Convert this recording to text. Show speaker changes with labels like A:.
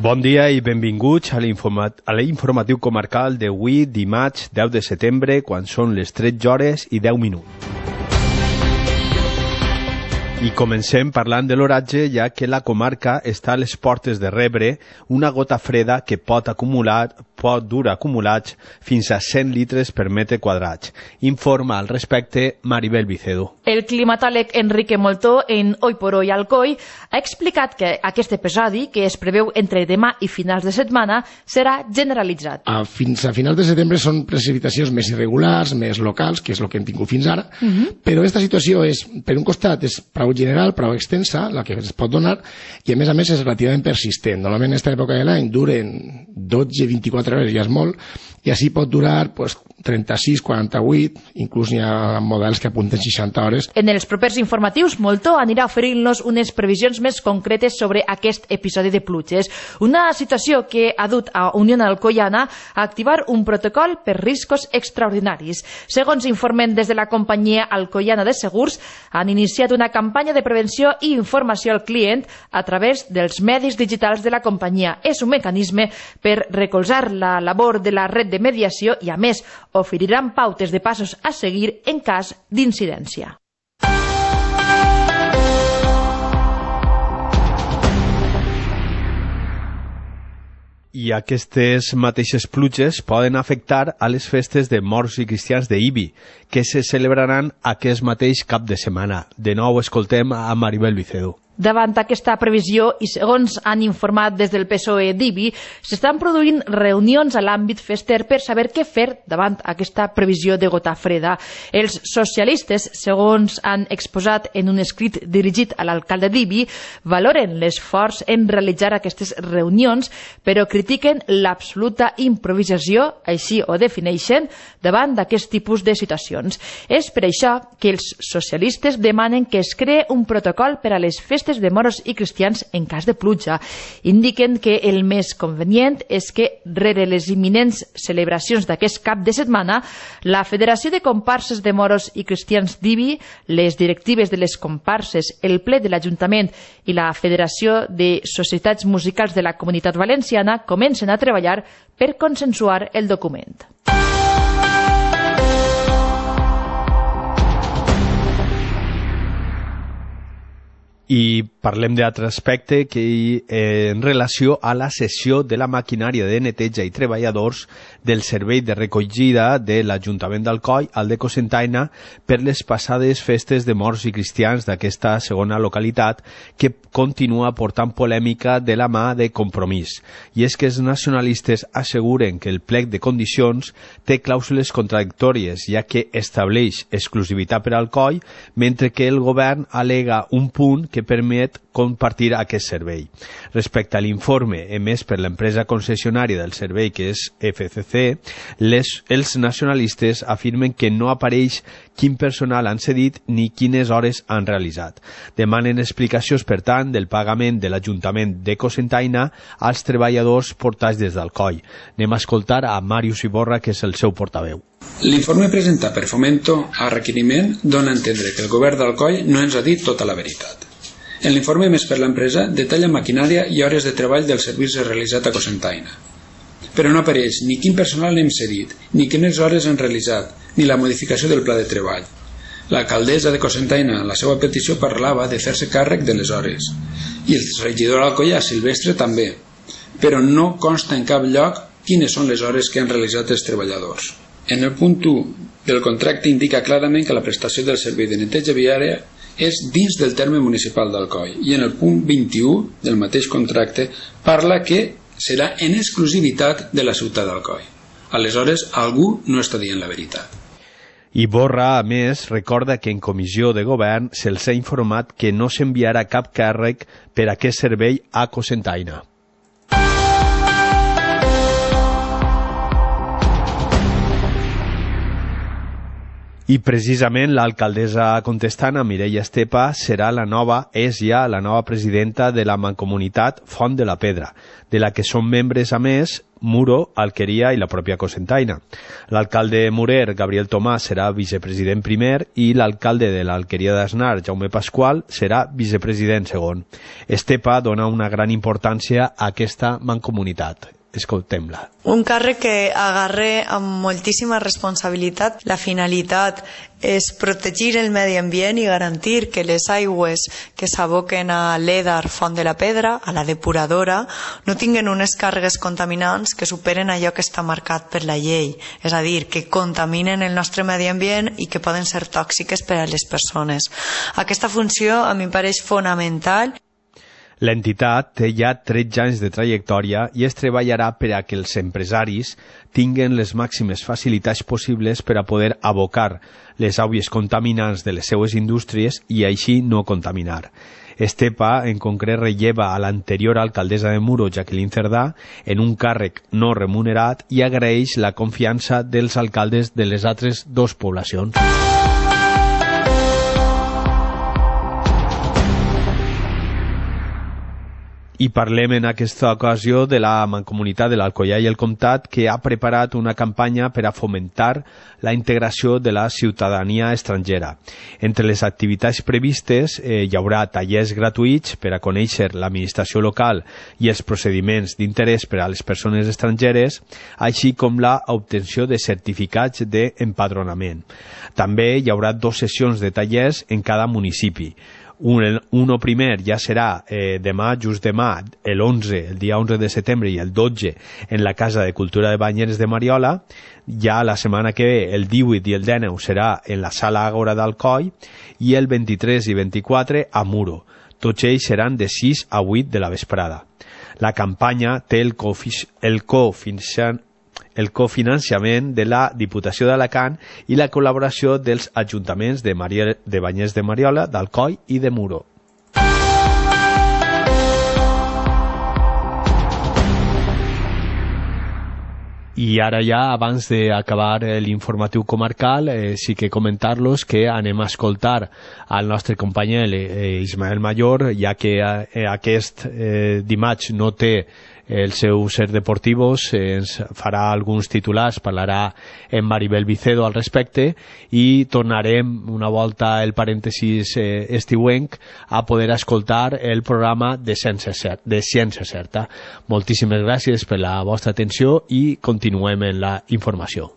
A: Bon dia i benvinguts a l'informatiu comarcal d'avui, dimarts 10 de setembre, quan són les 13 hores i 10 minuts. I comencem parlant de l'oratge, ja que la comarca està a les portes de rebre una gota freda que pot dur acumulats fins a 100 litres per metre quadrat. Informa al respecte Maribel Vicedo.
B: El climatòleg Enrique Moltó, en Hoy por Hoy Alcoi, ha explicat que aquest episodi, que es preveu entre demà i finals de setmana, serà generalitzat.
C: Fins a finals de setembre són precipitacions més irregulars, més locals, que és el que hem tingut fins ara, però aquesta situació és, per un costat, és prou general, prou extensa, la que es pot donar, i a més és relativament persistent. Normalment en aquesta època de l'any duren 12-24 hores, ja és molt, i així pot durar 36, 48, inclús hi ha models que apunten 60 hores.
B: En els propers informatius, Moltó anirà oferint-nos unes previsions més concretes sobre aquest episodi de pluges. Una situació que ha dut a Unió Alcoiana a activar un protocol per riscos extraordinaris. Segons informen des de la companyia Alcoiana de Segurs, han iniciat una campanya de prevenció i informació al client a través dels medis digitals de la companyia. És un mecanisme per recolzar la labor de la red de mediació i, a més, oferiran pautes de passos a seguir en cas d'incidència.
A: I aquestes mateixes pluges poden afectar a les festes de morts i cristians d'Ibi, que se celebraran aquest mateix cap de setmana. De nou escoltem a Maribel Vicedo.
B: Davant aquesta previsió, i segons han informat des del PSOE d'Ibi, s'estan produint reunions a l'àmbit fester per saber què fer davant aquesta previsió de gota freda. Els socialistes, segons han exposat en un escrit dirigit a l'alcalde d'Ibi, valoren l'esforç en realitzar aquestes reunions, però critiquen l'absoluta improvisació, així ho defineixen, davant d'aquest tipus de situacions. És per això que els socialistes demanen que es cree un protocol per a les festes de moros i cristians en cas de pluja. Indiquen que el més convenient és que, rere les imminents celebracions d'aquest cap de setmana, la Federació de Comparses de Moros i Cristians d'Ibi, les directives de les comparses, el ple de l'Ajuntament i la Federació de Societats Musicals de la Comunitat Valenciana comencen a treballar per consensuar el document.
A: I parlem d'altre aspecte que en relació a la cessió de la maquinària de neteja i treballadors del servei de recollida de l'Ajuntament d'Alcoi al de Cocentaina per les passades festes de morts i cristians d'aquesta segona localitat, que continua portant polèmica de la mà de Compromís. I és que els nacionalistes asseguren que el plec de condicions té clàusules contradictòries, ja que estableix exclusivitat per Alcoi, mentre que el govern alega un punt que permet compartir aquest servei. Respecte a l'informe emès per l'empresa concessionària del servei, que és FCC, els nacionalistes afirmen que no apareix quin personal han cedit ni quines hores han realitzat. Demanen explicacions, per tant, del pagament de l'Ajuntament de Cocentaina als treballadors portats des d'Alcoi. Anem a escoltar a Màrius Iborra, que és el seu portaveu.
D: L'informe presentat per Fomento a requeriment dona a entendre que el govern d'Alcoi no ens ha dit tota la veritat. En l'informe emès per l'empresa detalla maquinària i hores de treball del servici realitzat a Cocentaina. Però no apareix ni quin personal hem cedit, ni quines hores han realitzat, ni la modificació del pla de treball. L'alcaldessa de Cocentaina, en la seva petició, parlava de fer-se càrrec de les hores, i el regidor alcoià Silvestre també, però no consta en cap lloc quines són les hores que han realitzat els treballadors. En el punt 1 del contracte indica clarament que la prestació del servei de neteja viària és dins del terme municipal d'Alcoi, i en el punt 21 del mateix contracte parla que serà en exclusivitat de la ciutat d'Alcoi. Aleshores, algú no està dient la veritat.
A: Iborra, a més, recorda que en comissió de govern se'ls ha informat que no s'enviarà cap càrrec per a aquest servei a Cocentaina. I precisament l'alcaldessa contestant, Mireia Estepa, és ja la nova presidenta de la mancomunitat Font de la Pedra, de la que són membres, a més, Muro, Alqueria i la pròpia Cocentaina. L'alcalde Murer, Gabriel Tomàs, serà vicepresident primer i l'alcalde de l'Alqueria d'Asnar, Jaume Pasqual, serà vicepresident segon. Estepa dona una gran importància a aquesta mancomunitat. Escoltem-la.
E: Un càrrec que agarra amb moltíssima responsabilitat. La finalitat és protegir el medi ambient i garantir que les aigües que s'aboquen a l'Edar Font de la Pedra, a la depuradora, no tinguen unes càrregues contaminants que superen allò que està marcat per la llei. És a dir, que contaminen el nostre medi ambient i que poden ser tòxiques per a les persones. Aquesta funció a mi em pareix fonamental.
A: L'entitat té ja 13 anys de trajectòria i es treballarà per a que els empresaris tinguen les màximes facilitats possibles per a poder abocar les aigües contaminants de les seues indústries i així no contaminar. Estepa, en concret, relleva a l'anterior alcaldessa de Muro, Jacqueline Cerdà, en un càrrec no remunerat i agraeix la confiança dels alcaldes de les altres dues poblacions. I parlem en aquesta ocasió de la Mancomunitat de l'Alcoià i el Comtat, que ha preparat una campanya per a fomentar la integració de la ciutadania estrangera. Entre les activitats previstes hi haurà tallers gratuïts per a conèixer l'administració local i els procediments d'interès per a les persones estrangeres, així com la obtenció de certificats d'empadronament. També hi haurà 2 sessions de tallers en cada municipi. Uno primer ja serà demà, just demà, el dia 11 de setembre i el 12 en la Casa de Cultura de Banyeres de Mariola. Ja la setmana que ve, el 18 i el 19, serà en la Sala Àgora d'Alcoi i el 23 i 24 a Muro. Tots ells seran de 6 a 8 de la vesprada. La campanya té el cofinançament de la Diputació d'Alacant i la col·laboració dels ajuntaments de Banyeres de Mariola, d'Alcoi i de Muro. I ara ja, abans d'acabar l'informatiu comarcal, sí que comentar-los que anem a escoltar al nostre company Ismael Mayor, ja que aquest dimarts no té el seu Ser Deportivos, ens farà alguns titulars, parlarà en Maribel Vicedo al respecte i tornarem una volta el parèntesis estiuenc a poder escoltar el programa de Ciència Certa. Moltíssimes gràcies per la vostra atenció i continuem en la informació.